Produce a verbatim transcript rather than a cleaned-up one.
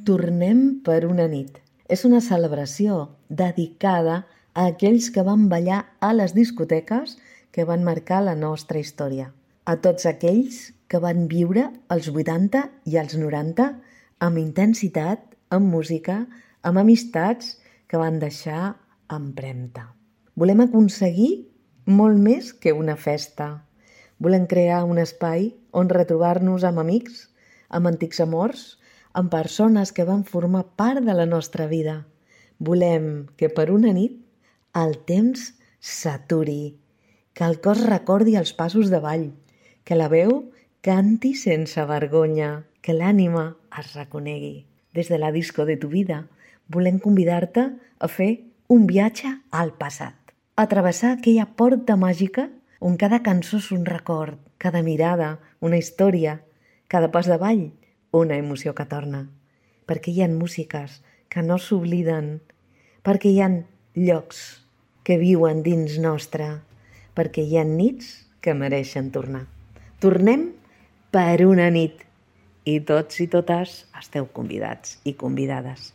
Tornem per una nit. És una celebració dedicada a aquells que van ballar a les discoteques que van marcar la nostra història. A tots aquells que van viure els vuitanta i els noranta amb intensitat, amb música, amb amistats que van deixar empremta. Volem aconseguir molt més que una festa. Volem crear un espai on retrobar-nos amb amics, amb antics amors, amb persones que van formar part de la nostra vida. Volem que per una nit el temps s'aturi, que el cos recordi els passos de ball, que la veu canti sense vergonya, que l'ànima es reconegui. Des de la disco de tu vida volem convidar-te a fer un viatge al passat, a travessar aquella porta màgica on cada cançó és un record, cada mirada, una història, cada pas de ball, una emoció que torna. Perquè hi ha músiques que no s'obliden, perquè hi ha llocs que viuen dins nostre, perquè hi ha nits que mereixen tornar. Tornem per una nit i tots i totes esteu convidats i convidades.